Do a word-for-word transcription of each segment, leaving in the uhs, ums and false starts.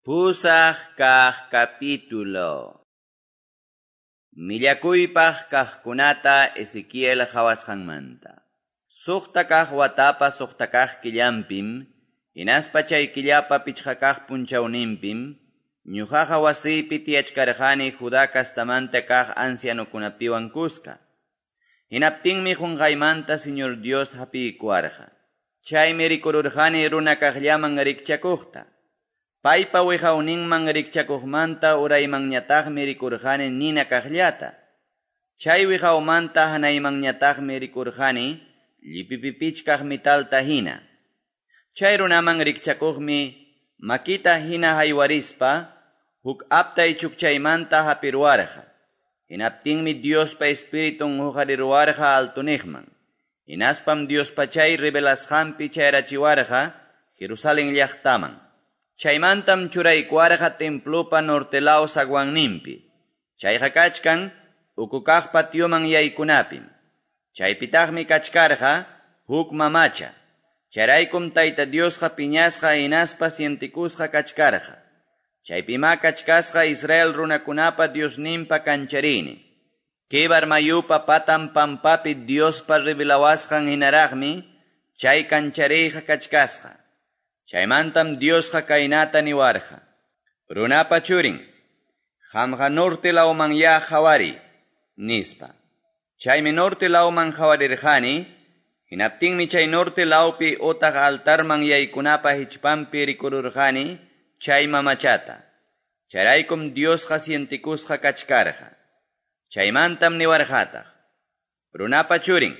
Pusaq kaq capítulo. Millakuypaq kaqkunata Ezequiel qhawasqanmanta. Suqta kaq watapa suqta kaq killanpim, hinaspa chay killapa pichqa kaq punchawninpim, ñuqaqa wasiypi tiyachkarqani Judá kastamanta kaq ancianokunapiwan kuska. Hinaptinmi qunqaymanta Señor Dios hapiykuwarqa. Chaymi rikururqani runa kaqllaman rikchakuqta. Paypa wiqawninman rikchakuqmanta uraymanñataqmi rikurqani nina kaqllata. Chay wiqawmanta hanaymanñataqmi rikurqani llipipipichkaq mitalta hina. Chay runaman rikchakuqmi makita hina haywarispa huk aptay chukchaymanta hapiruwarqa. Hinaptinmi Diospa Espiritun huqariruwarqa altuniqman. Hinaspam Diospa chay revelasqanpi chayrachiwarqa Jerusalén llaqtaman. Chaymantam churaykuwarqa templopa norte law zaguanninpi. Chayqa kachkan ukukaq patioman yaykunapim. Chaypitaqmi kachkarqa huk mamacha. Chayraykum Tayta Diosqa piñasqa hinaspa sientikusqa kachkarqa. Chaypima kachkasqa Israel runakunapa Diosninpa kancharini. Kebar mayupa patan pampapi Diospa revelawasqan hinaraqmi chay kanchariyqa kachkasqa. Chaymantam Diosqa kaynata niwarqa. Runapa churin, qamqa norte lawman ya qhawari, nispa. Chaymi norte lawman qhawarirqani, hinaptinmi chay norte lawpi utaq altarman yaykunapa hichpanpi rikururqani chay mamachata. Chayraykum Diosqa sientikusqa kachkarqa. Chaymantam niwarqataq. Runapa churin,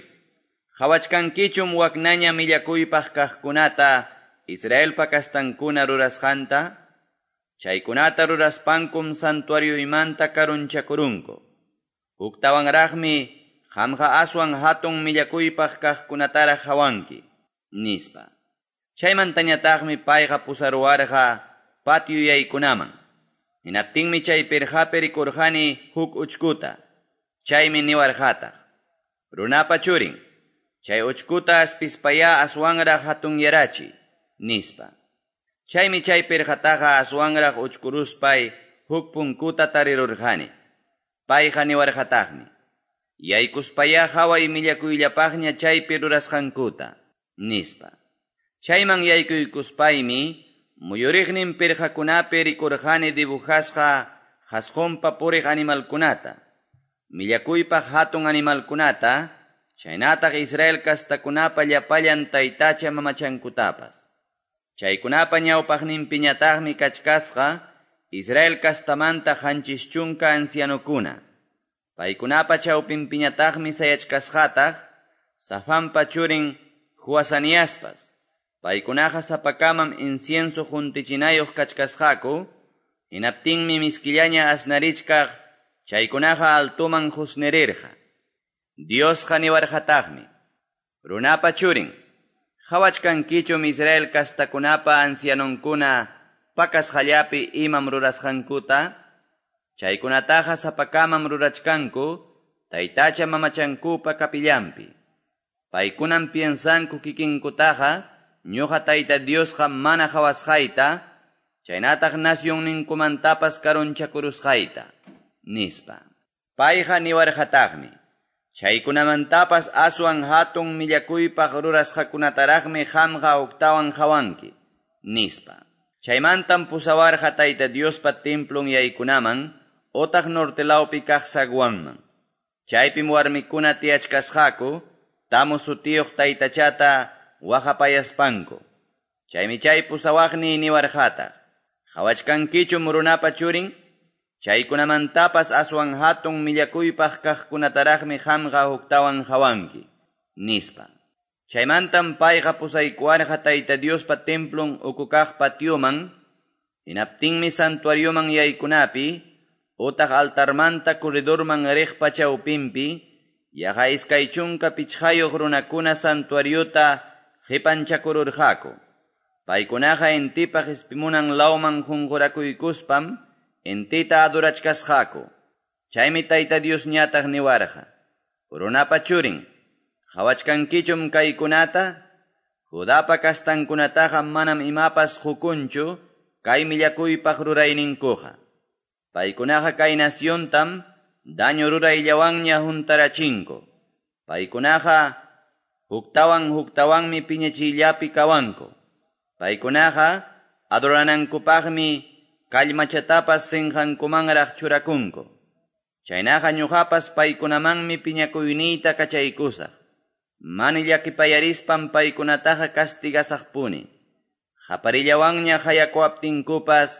qhawachkankichum waknaña millakuypaq kaqkunata Israelpa kastankuna rurasqanta, chaykunata ruraspankum santuarioymanta karunchakurunku. Huktawanraqmi qamqa aswan hatun millakuypaq kaqkunataraq hawanki, nispa. Chaymantañataqmi payqa pusaruwarqa patio yaykunaman. Hinaptinmi chay pirqapi rikurqani huk uchkuta. Chaymi niwarqataq. Runapa churin, chay uchkuta aspispayá aswanraq hatunyarachi, nispa. Chaymi chay pirqataqa aswanraq uchkuruspay huk punkuta tarirurqani. Payqa niwarqataqmi. Yaykuspayá haway millakuyllapaqña chaypi rurasqankuta, nispa. Chayman yaykuykuspaymi muyuriqnin pirqakunapi rikurqani dibujasqa qhasqunpa puriq animalkunata, millakuypaq hatun animalkunata, chaynataq Israel kastakunapa llapallan taytacha mamachankutapas. Chaykunapa ñawpaqninpiñataqmi kachkasqa Israel kastamanta qanchis chunka ancianokuna. Paykunapa chawpinpiñataqmi sayachkasqataq Safanpa churin Joazaniaspas. Paykunaqa sapakamam incienso juntichinayuq kachkasqaku, hinaptinmi miskillaña asnarichkaq chaykunaqa altuman husnirirqa. Diosqa niwarqataqmi. Runapa churin, qhawachkankichum Israel kastakunapa ancianonkuna pakasqallapi imam rurasqankuta? Chaykunataqa sapakamam rurachkanku taytacha mamachankupa kapillanpi. Paykunam piensanku kikinkutaqa ñuqa Tayta Diosqa mana qhawasqayta, chaynataq nacionninkumantapas karunchakurusqayta, nispa. Payqa niwarqataqmi. Chaykunamantapas aswan hatun millakuypaq rurasqakunataraqmi qamqa huktawan qhawanki, nispa. Chaymantam pusawarqa Tayta Diospa templon yaykunaman utaq norte lawpi kaq zaguanman. Chaypim warmikuna tiyachkasqaku, Tamu sutiyuq taytachata waqapayaspanku. Chaymi chay pusawaqni niwarqataq. Qhawachkankichum runapa churin? Chaykunamantapas aswan hatun millakuypaq kaqkunataraqmi qamqa huktawan hawanki, nispa. Chaymantam payqa pusaykuwarqa Tayta Diospa templon ukukaq patioman, hinaptinmi santuarioman yaykunapi, utaq altarmanta corredorman riqpa chawpinpi, yaqa iskay chunka pichqayuq runakuna santuariota qipanchakururqaku. Paykunaqa intipaq ispimunan lawman qunqurakuykuspam intita adorachkasqaku. Chaymi Tayta Diosñataq niwarqa. Runapa churin, qhawachkankichum kaykunata? Judapa kastankunataqa manam imapas qukunchu kay millakuypaq rurayninkuqa. Paykunaqa kay naciontam daño rurayllawanña huntarachinku. Paykunaqa huktawan huktawanmi piñachiyllapi kawanku. Paykunaqa adoranankupaqmi kallmachatapas sinqankumanraq churakunku. Chaynaqa ñuqapas paykunamanmi piñakuyniyta kachaykusaq. Mana llakipayarispan paykunataqa castigasaqpuni. Qaparillawanña qayakuwaptinkupas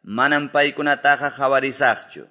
manam paykunataqa qawarisaqchu.